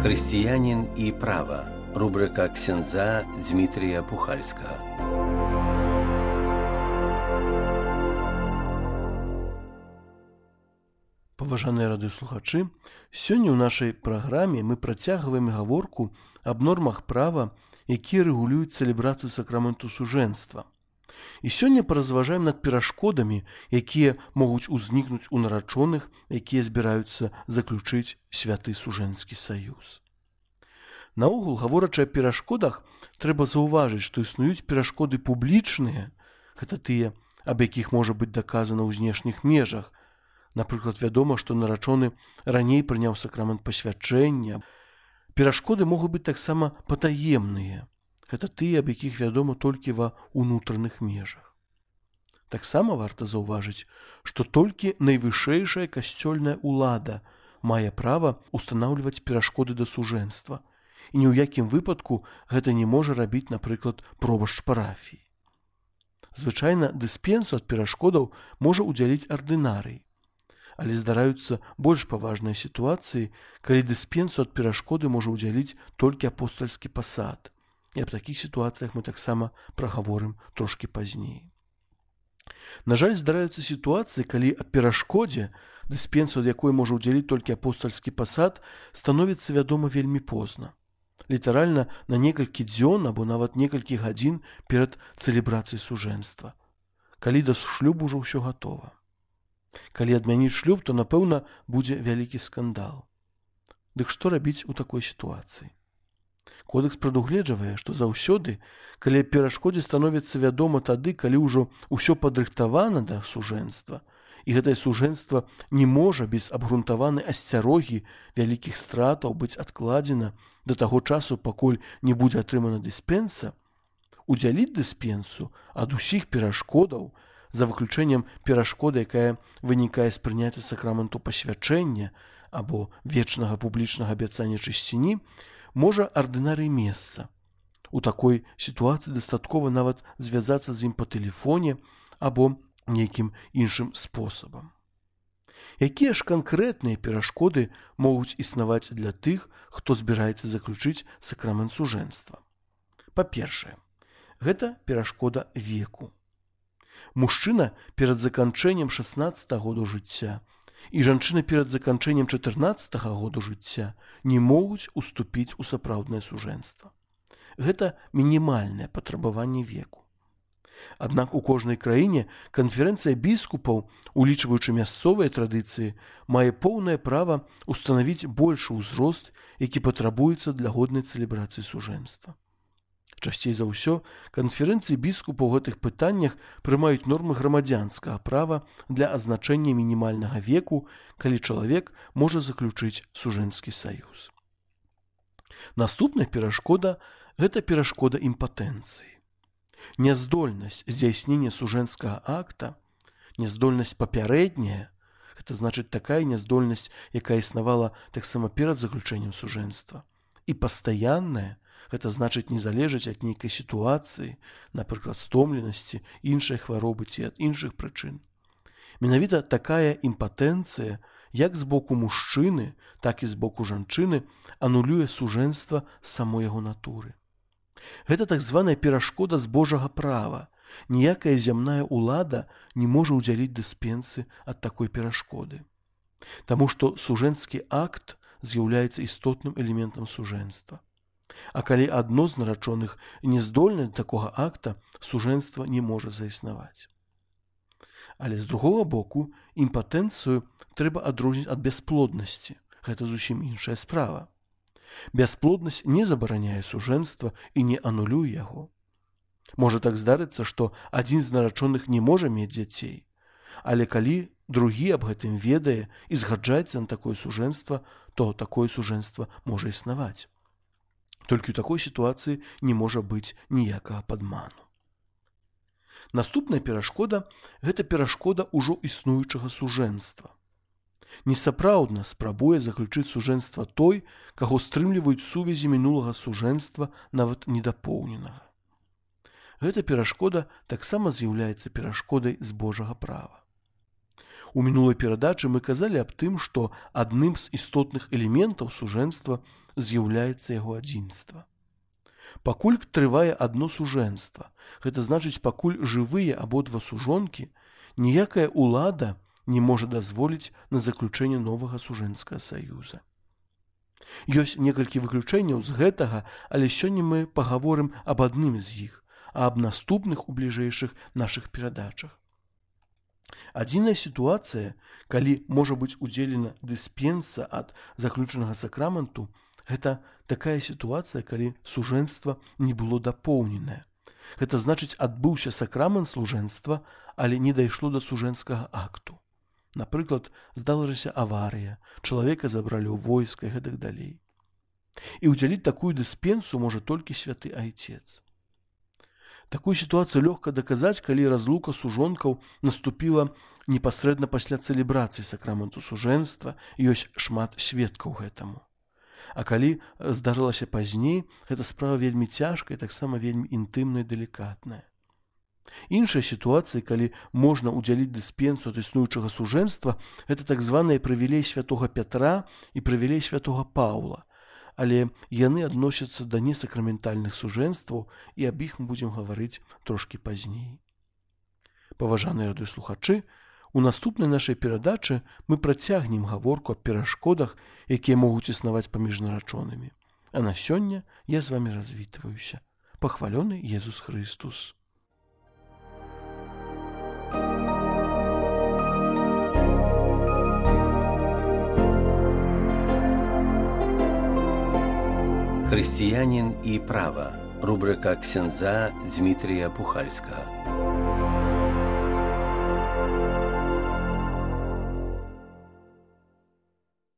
Християнин и право. Рубрика ксяндза Дмитрия Пухальского. Паважаныя радыёслухачы, сёння ў нашай праграме мы працягваем гаворку аб нормах права, якія рэгулююць цэлебрацыю сакраменту сужэнства. І сёння паразважаем над перашкодамі, якія могуць узнікнуць у нарачоных, якія збіраюцца заключыць святы сужэнскі саюз. Наогул, гаворачы аб перашкодах, трэба заўважыць, што існуюць перашкоды публічныя, гэта тыя, аб якіх можа быць даказана ў знешніх межах. Напрыклад, вядома, што нарачоны раней прыняў сакрамент пасвячэння. Перашкоды могуць быць таксама патаемныя. Гэта тыя, аб якіх вядома толькі ва ўнутраных межах. Таксама варта заўважыць, што толькі найвышэйшая касцёльная ўлада мае права ўстанаўліваць перашкоды да сужэнства. І ні ў якім выпадку гэта не можа рабіць, напрыклад, пробашч парафіі. Звычайна дыспенсу ад перашкодаў можа ўдзяліць ардынарый. Але здараюцца больш паважныя сітуацыі, калі дыспенсу ад перашкоды можа ўдзяліць толькі апостальскі пасад. І аб такіх сітуацыях мы таксама прагаворым трошкі пазней. На жаль, здараюцца сітуацыі, калі аб перашкодзе, дыспенсу ад якой можа ўдзяліць толькі апостальскі пасад, становіцца вядома вельмі позна. Літаральна на некалькі дзён або нават некалькі гадзін перад цэлебрацыяй сужэнства. Калі да шлюбу ўжо ўсё гатова. Калі адмяніць шлюб, то, напэўна, будзе вялікі скандал. Дык што рабіць у такой сітуацыі? Кодэкс прадугледжвае, што заўсёды, калі аб перашкодзе становіцца вядома тады, калі ўжо ўсё падрыхтавана да сужэнства, і гэтае сужэнства не можа без абгрунтаванай асцярогі вялікіх стратаў быць адкладзена да таго часу, пакуль не будзе атрымана дыспенса, удзяліць дыспенсу ад усіх перашкодаў, за выключэннем перашкоды, якая вынікае з прыняцця сакраменту пасвячэння або вечнага публічнага абяцання чысціні, можа ардынарый месца. У такой сітуацыі дастаткова нават звязацца з ім па тэлефоне або нейкім іншым спосабам. Якія ж канкрэтныя перашкоды могуць існаваць для тых, хто збіраецца заключыць сакрамент сужэнства? Па-першае, гэта перашкода веку. Мужчына перад заканчэннем 16 году жыцця і жанчына перад заканчэннем 14 году жыцця не могуць уступіць у сапраўднае сужэнства. Гэта мінімальнае патрабаванне веку. Аднак у кожнай краіне канферэнцыя біскупаў, улічваючы мясцовыя традыцыі, мае поўнае права ўстанавіць большы ўзрост, які патрабуецца для годнай цэлебрацыі сужэнства. Часцей за ўсё, канферэнцыі біскупаў у гэтых пытаннях прымаюць нормы грамадзянскага права для азначэння мінімальнага веку, калі чалавек можа заключыць сужэнскі саюз. Наступная перашкода – гэта перашкода імпатэнцыі. Няздольнасць здзяйснення сужэнскага акта, няздольнасць папярэдняя – гэта значыць такая няздольнасць, якая існавала таксама перад заключэннем сужэнства, і пастаянная – гэта значыць не залежаць ад нейкай сітуацыі, напрыклад, стомленасці, іншай хваробы ці ад іншых прычын. Менавіта такая імпатэнцыя, як з боку мужчыны, так і з боку жанчыны, анулюе сужэнства з самой яго натуры. Гэта так званая перашкода з Божага права. Ніякая зямная ўлада не можа ўдзяліць дыспенсы ад такой перашкоды. Таму што сужэнскі акт з'яўляецца істотным элементам сужэнства. А калі адно з нарачоных не здольны да такога акта, сужэнства не можа заіснаваць. Але з другога боку, імпатэнцыю трэба адрозніць ад бясплоднасці. Гэта зусім іншая справа. Бясплоднасць не забараняе сужэнства і не анулюе яго. Можа так здарыцца, што адзін з нарачоных не можа мець дзяцей, але калі другі аб гэтым ведае і згаджаецца на такое сужэнства, то такое сужэнства можа існаваць. Толькі ў такой сітуацыі не можа быць ніякага падману. Наступная перашкода – гэта перашкода ўжо існуючага сужэнства. Несапраўдна спрабуе заключыць сужэнства той, каго стрымліваюць сувязі мінулага сужэнства, нават недапоўненага. Гэта перашкода таксама з'яўляецца перашкодай з Божага права. У мінулай перадачы мы казалі аб тым, што адным з істотных элементаў сужэнства з'яўляецца яго адзінства. Пакуль трывае адно сужэнства, гэта значыць, пакуль жывыя абодва сужонкі, ніякая ўлада не можа дазволіць на заключэнне новага сужэнцкага саюза. Ёсць некалькі выключэнняў з гэтага, але сёння мы пагаворым аб адным з іх, а аб наступных у бліжэйшых нашых перадачах. Адзіная сітуацыя, калі можа быць удзелена дыспенса ад заключанага сакраменту, гэта такая сітуацыя, калі сужэнства не было дапоўненае. Гэта значыць, адбыўся сакрамент служэнства, але не дайшло да сужэнцкага акту. Напрыклад, здарылася аварыя, чалавека забралі ў войска і гэтак далей. І удзяліць такую дыспенсу можа толькі святы айцец. Такую сітуацыю лёгка даказаць, калі разлука сужонкаў наступіла непасрэдна пасля цэлебрацыі сакраменту сужэнства, і ёсць шмат сведкаў гэтаму. А калі здарылася пазней, гэта справа вельмі цяжкая і таксама вельмі інтымная і дэлікатная. Іншая сітуацыя, калі можна ўдзяліць дыспенсу ад існуючага сужэнства, гэта так званыя прывілей святога Пятра і прывілей святога Паўла, але яны адносяцца да несакраментальных сужэнстваў, і аб іх мы будзем гаварыць трошкі пазней. Паважаныя радыёслухачы, у наступнай нашай перадачы мы працягнем гаворку аб перашкодах, якія могуць існаваць паміж нарачонымі. А на сёння я з вамі развітваюся. Пахвалёны Езус Хрыстус! Хрысціянін і права. Рубрика ксяндза Дзмітрія Пухальскага.